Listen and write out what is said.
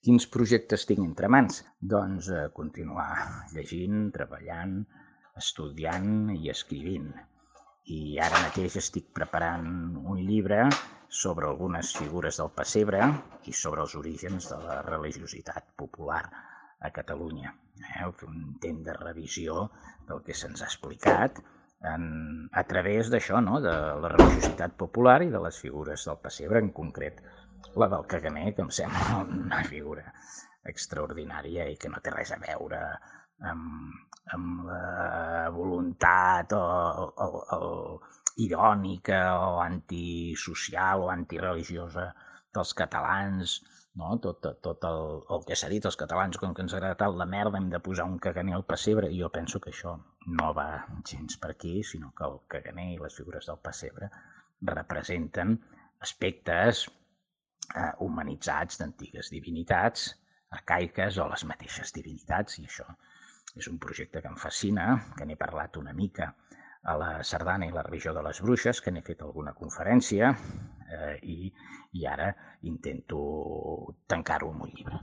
Quins projectes tinc entre mans? Doncs continuar llegint, treballant, estudiant i escrivint. I ara mateix estic preparant un llibre sobre algunes figures del pessebre i sobre els orígens de la religiositat popular a Catalunya. Fer un intent de revisió del que se'ns ha explicat a través d'això, no? De la religiositat popular i de les figures del pessebre, en concret la del caganer, que em sembla una figura extraordinària i que no té res a veure amb la voluntat irònica o antisocial o antireligiosa dels catalans, no? Tot el que s'ha dit, els catalans, com que ens agrada tant la merda, hem de posar un caganer al pessebre. Jo penso que això no va gens per aquí, sinó que el caganer i les figures del pessebre representen aspectes humanitzats d'antigues divinitats arcaiques o les mateixes divinitats, i això és un projecte que em fascina, que n'he parlat una mica a la sardana i la religió de les bruixes, que n'he fet alguna conferència i ara intento tancar-ho amb un llibre.